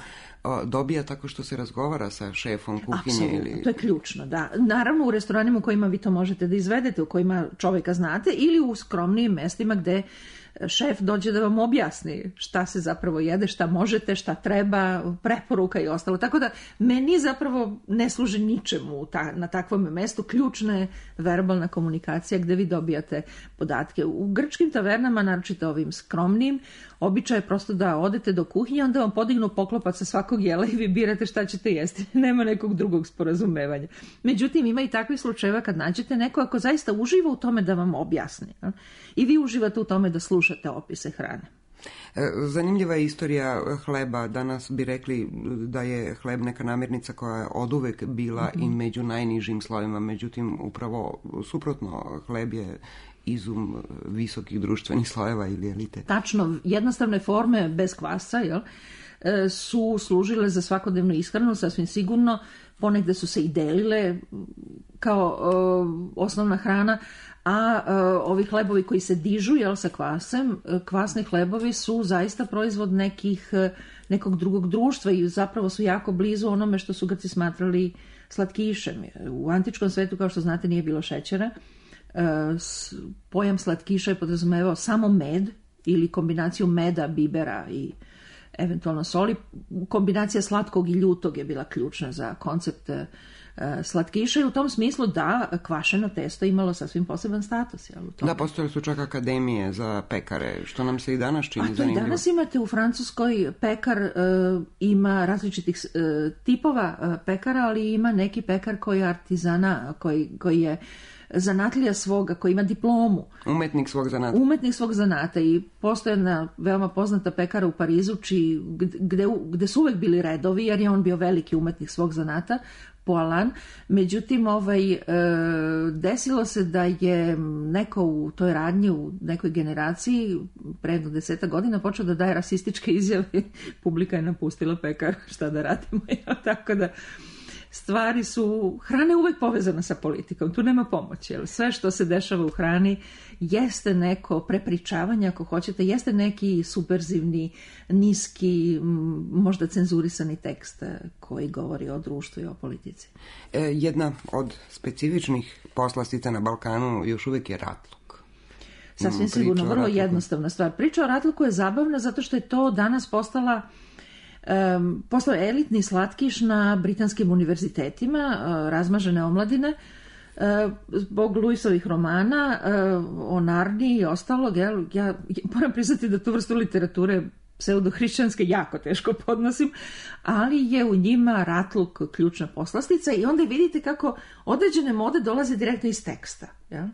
dobija tako što se razgovara sa šefom kuhinje. Apsolutno, ili... to je ključno, da. Naravno u restoranima u kojima vi to možete da izvedete, u kojima čovjeka znate, ili u skromnijim mestima gde šef dođe da vam objasni šta se zapravo jede, šta možete, šta treba, preporuka i ostalo. Tako da meni zapravo ne služi ničemu ta, na takvom mestu. Ključna je verbalna komunikacija gde vi dobijate podatke. U grčkim tavernama, naročito ovim skromnim, običaj je prosto da odete do kuhinje, onda vam podignu poklopac sa svakog jela i vi birate šta ćete jesti. Nema nekog drugog sporazumevanja. Međutim, ima i takvih slučajeva kad nađete neko ako zaista uživa u tome da vam objasni. I vi uživate u tome da slušate opise hrane. Zanimljiva je istorija hleba. Danas bi rekli da je hleb neka namirnica koja je oduvek bila mm-hmm. i među najnižim slojima. Međutim, upravo suprotno, hleb je izum visokih društvenih slojeva ili elite. Tačno, jednostavne forme bez kvasa, jel, su služile za svakodnevnu ishranu, sasvim sigurno. Ponegde su se i delile kao uh, osnovna hrana, a uh, ovi hlebovi koji se dižu, jel, sa kvasem, kvasni hlebovi su zaista proizvod nekih, nekog drugog društva i zapravo su jako blizu onome što su Grci smatrali slatkišem. U antičkom svetu, kao što znate, nije bilo šećera. Uh, pojam slatkiša je podrazumevao samo med ili kombinaciju meda, bibera i eventualno soli. Kombinacija slatkog i ljutog je bila ključna za koncept slatkiša i u tom smislu da kvašeno testo imalo sasvim poseban status. Jel, u da, postojale su čak akademije za pekare, što nam se i danas čini zanimljivo. A to i danas imate u Francuskoj pekar, e, ima različitih e, tipova e, pekara, ali ima neki pekar koji je artizana, koji, koji je zanatlija svoga, koji ima diplomu. Umetnik svog zanata. Umetnik svog zanata i postoje jedna veoma poznata pekara u Parizu, či, gde, gde su uvek bili redovi, jer je on bio veliki umetnik svog zanata, Poalan. Međutim, ovaj, e, desilo se da je neko u toj radnji, u nekoj generaciji, pre jedno deseta godina, počeo da daje rasističke izjave. Publika je napustila pekar, šta da radimo. Tako da stvari su, hrana je uvek povezana sa politikom, tu nema pomoći. Sve što se dešava u hrani jeste neko prepričavanje, ako hoćete, jeste neki subverzivni, niski, možda cenzurisani tekst koji govori o društvu i o politici. E, jedna od specifičnih poslastica na Balkanu još uvijek je ratluk. Sasvim sigurno, vrlo jednostavna stvar. Priča o ratluku je zabavna zato što je to danas postala Um, postao je elitni slatkiš na britanskim univerzitetima, uh, razmažene omladine, uh, zbog Lewisovih romana, uh, o Narniji i ostalog. Ja, ja moram priznati da tu vrstu literature pseudohrišćanske jako teško podnosim, ali je u njima ratluk ključna poslastica i onda vidite kako određene mode dolaze direktno iz teksta. Ja?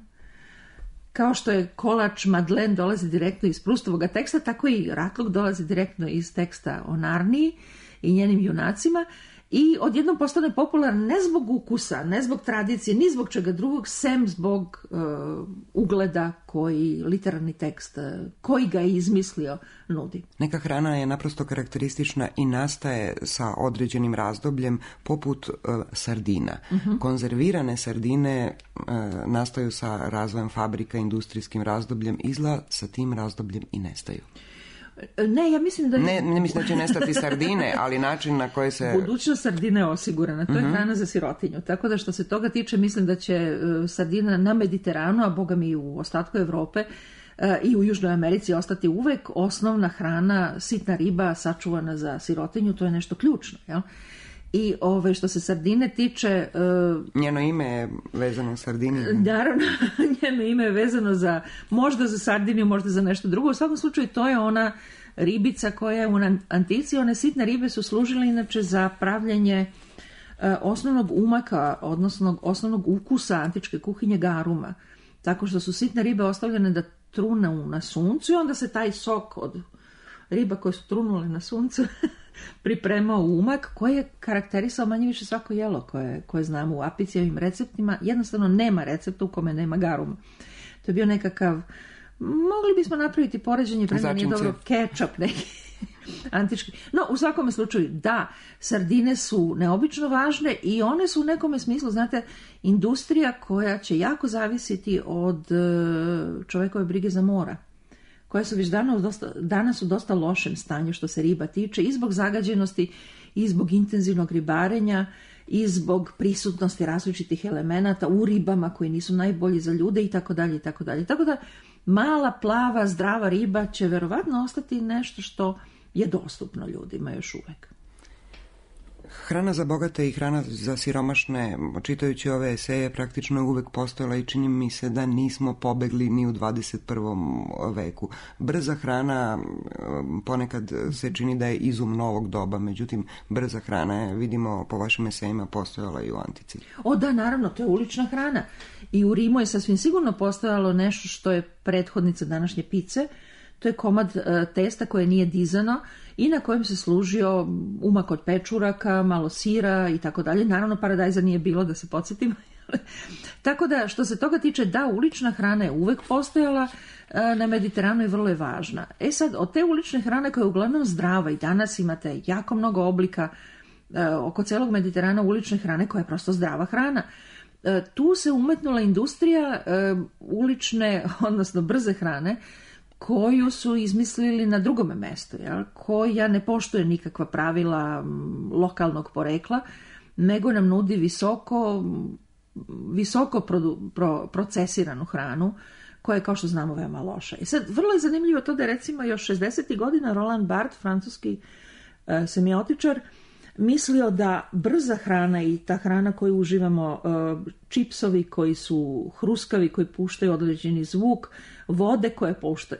Kao što je kolač Madeleine dolazi direktno iz Prustovog teksta, tako i ratluk dolazi direktno iz teksta o Narniji i njenim junacima i odjednom postane popularan ne zbog ukusa, ne zbog tradicije, ni zbog čega drugog, sem zbog uh, ugleda koji literarni tekst, uh, koji ga je izmislio, nudi. Neka hrana je naprosto karakteristična i nastaje sa određenim razdobljem, poput uh, sardina. Uh-huh. Konzervirane sardine uh, nastaju sa razvojem fabrika, industrijskim razdobljem, izla sa tim razdobljem i nestaju. Ne, ja mislim da... Ne, ne mislim da će nestati sardine, ali način na koji se... Budućnost sardine je osigurana, to je uh-huh. hrana za sirotinju. Tako da što se toga tiče, mislim da će sardina na Mediteranu, a boga mi i u ostatku Evrope i u Južnoj Americi ostati uvek osnovna hrana, sitna riba sačuvana za sirotinju, to je nešto ključno, jel? I ove, što se sardine tiče... Uh, njeno ime je vezano za sardiniju. Naravno, njeno ime je vezano za, možda za sardiniju, možda za nešto drugo. U svakom slučaju to je ona ribica koja je u antici. One sitne ribe su služile inače za pravljanje uh, osnovnog umaka, odnosno osnovnog ukusa antičke kuhinje garuma. Tako što su sitne ribe ostavljene da trunu na suncu i onda se taj sok od riba koje su trunule na suncu pripremao umak koji je karakterisao manje više svako jelo koje, koje znamo u Apicijevim receptima. Jednostavno nema recepta u kome nema garuma. To je bio nekakav, mogli bismo napraviti poređenje, prema nije dobro, kečap neki antički. No, u svakom slučaju, da, sardine su neobično važne i one su u nekome smislu, znate, industrija koja će jako zavisiti od čovekove brige za mora, koje su već danas, dosta, danas u dosta lošem stanju što se riba tiče, i zbog zagađenosti, i zbog intenzivnog ribarenja, i zbog prisutnosti različitih elemenata u ribama koji nisu najbolji za ljude i tako dalje i tako dalje. Tako da mala, plava, zdrava riba će verovatno ostati nešto što je dostupno ljudima još uvek. Hrana za bogate i hrana za siromašne, čitajući ove eseje, praktično je uvek postojala i čini mi se da nismo pobegli ni u dvadeset prvom veku. Brza hrana ponekad se čini da je izum novog doba, međutim brza hrana je, vidimo po vašim esejima, postojala i u antici. O da, naravno, to je ulična hrana. I u Rimu je sasvim sigurno postojalo nešto što je prethodnica današnje pice. To je komad testa koje nije dizano i na kojem se služio umak od pečuraka, malo sira i tako dalje. Naravno, paradajza nije bilo, da se podsjetim. Tako da, što se toga tiče, da, ulična hrana je uvek postojala na Mediteranu i vrlo je važna. E sad, od te ulične hrane koja je uglavnom zdrava, i danas imate jako mnogo oblika oko celog Mediterana ulične hrane koja je prosto zdrava hrana. Tu se umetnula industrija ulične, odnosno brze hrane, koju su izmislili na drugome mestu, jel? Koja ne poštuje nikakva pravila lokalnog porekla, nego nam nudi visoko, visoko produ, pro, procesiranu hranu, koja je, kao što znamo, veoma loša. I sad, vrlo je zanimljivo to da, recimo, još šezdesetih godina Roland Barthes, francuski uh, semiotičar, mislio da brza hrana i ta hrana koju uživamo, čipsovi koji su hruskavi, koji puštaju određeni zvuk, vode koje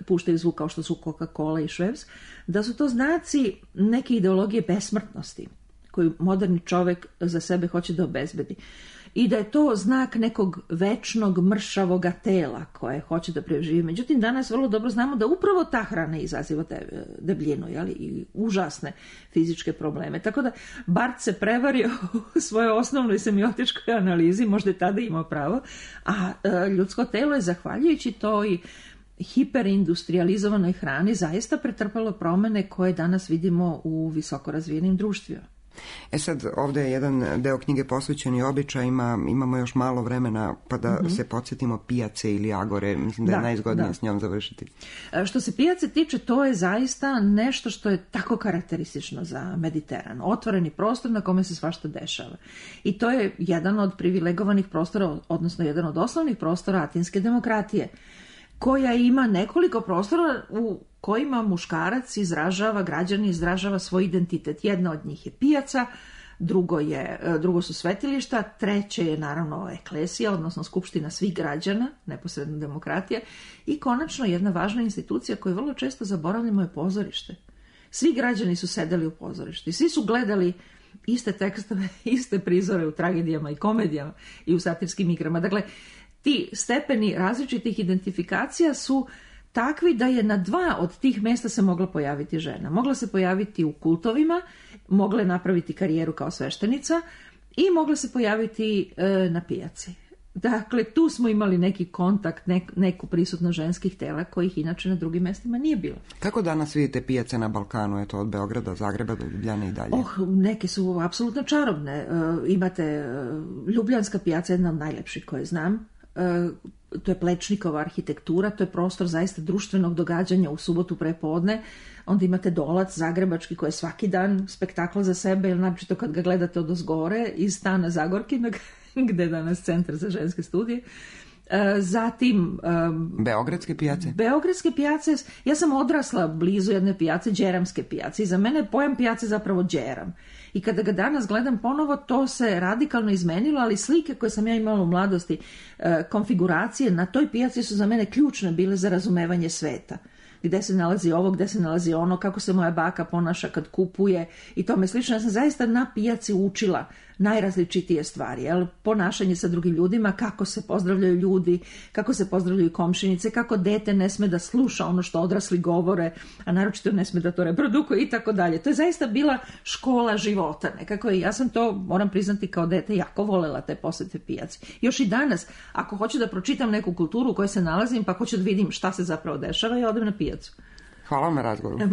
puštaju zvuk kao što su Coca-Cola i Schweppes, da su to znaci neke ideologije besmrtnosti koju moderni čovjek za sebe hoće da obezbedi. I da je to znak nekog večnog mršavoga tela koje hoće da preživi. Međutim, danas vrlo dobro znamo da upravo ta hrana izaziva debljinu, jeli, i užasne fizičke probleme. Tako da Barth se prevario u svojoj osnovnoj semiotičkoj analizi, možda je tada imao pravo, a ljudsko telo je zahvaljujući toj hiperindustrializovanoj hrani zaista pretrpalo promene koje danas vidimo u visoko razvijenim društvima. E sad, ovdje je jedan deo knjige posvećen i običajima, imamo još malo vremena pa da mm-hmm. se podsjetimo pijace ili agore, mislim da, da je najzgodnije da. S njom završiti. Što se pijace tiče, to je zaista nešto što je tako karakteristično za Mediteran, otvoreni prostor na kome se svašta dešava. I to je jedan od privilegovanih prostora, odnosno jedan od osnovnih prostora atinske demokratije, koja ima nekoliko prostora u kojima muškarac izražava, građani izražava svoj identitet. Jedna od njih je pijaca, drugo, je, drugo su svetilišta, treće je naravno eklesija, odnosno skupština svih građana, neposredna demokratija, i konačno jedna važna institucija koju vrlo često zaboravljamo je pozorište. Svi građani su sedeli u pozorištu i svi su gledali iste tekstove, iste prizore u tragedijama i komedijama i u satirskim igrama. Dakle, ti stepeni različitih identifikacija su takvi da je na dva od tih mjesta se mogla pojaviti žena. Mogla se pojaviti u kultovima, mogla je napraviti karijeru kao sveštenica i mogla se pojaviti e, na pijaci. Dakle, tu smo imali neki kontakt, nek, neku prisutno ženskih tela kojih inače na drugim mjestima nije bilo. Kako danas vidite pijace na Balkanu, eto od Beograda, Zagreba do Ljubljane i dalje? Oh, neke su apsolutno čarobne. E, imate e, Ljubljanska pijaca, jedna od najlepših koje znam. To je Plečnikova arhitektura, to je prostor zaista društvenog događanja u subotu prepodne. Onda imate Dolac zagrebački koji je svaki dan spektakl za sebe, ili naročito kad ga gledate odozgore iz stana Zagorkina, gde je danas centar za ženske studije. Zatim Beogradske pijace. Beogradske pijace, ja sam odrasla blizu jedne pijace, Đeramske pijace, i za mene je pojam pijace zapravo Đeram. I kada ga danas gledam ponovo, to se radikalno izmenilo, ali slike koje sam ja imala u mladosti, konfiguracije na toj pijaci su za mene ključne bile za razumevanje sveta. Gde se nalazi ovo, gde se nalazi ono, kako se moja baka ponaša kad kupuje i tome slično. Ja sam zaista na pijaci učila najrazličitije stvari, jel? Ponašanje sa drugim ljudima, kako se pozdravljaju ljudi, kako se pozdravljaju komšinice, kako dete ne sme da sluša ono što odrasli govore, a naročito ne sme da to reprodukuje i tako dalje. To je zaista bila škola života nekako i ja sam to, moram priznati, kao dete jako volela te posete pijaci. Još i danas, ako hoću da pročitam neku kulturu u kojoj se nalazim, pa hoću da vidim šta se zapravo dešava, ja odem na pijacu. Hvala vam na razgovoru. E,